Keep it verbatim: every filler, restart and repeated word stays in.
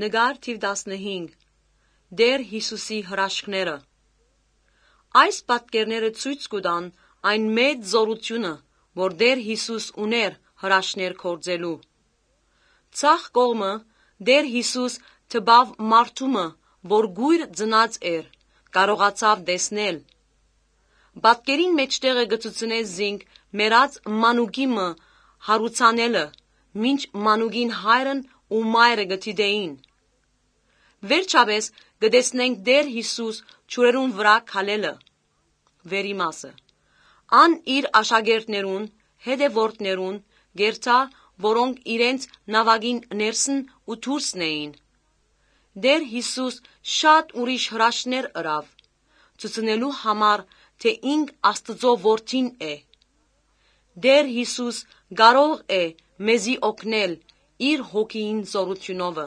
Նկար թիվ տասնհինգ։ Տէր Յիսուսի հրաշքները։ Այս պատկերները ցոյց կու տան այն մեծ զօրութիւնը, որ Տէր Յիսուս ունէր հրաշքներ գործելու։ Ձախ կողմը Տէր Յիսուս տպաւ մարդու մը, որ կոյր ծնած էր, կարողացաւ տեսնել։ Պատկերին մէջտեղը կը ցուցնէ զինք մեռած մանուկի մը յարուցանելը, մինչ մանուկին հայրն ու մայրը կը դիտէին։ Վերջապէս կը տեսնենք Տէր Յիսուս ջուրերուն վրայ քալելը, վերի մասը։ Ան իր աշակերտներուն, հետեւորդներուն կ'երթայ, որոնք իրենց նաւակին ներսն ու դուրսն էին։ Տէր Յիսուս շատ ուրիշ հրաշքներ ըրաւ, ցուցնելու համար, թէ ինք Աստուծոյ Որդին է։ Տէր Յիսուս կարող է մեզի օգնել իր հոգիին զօրութիւնովը։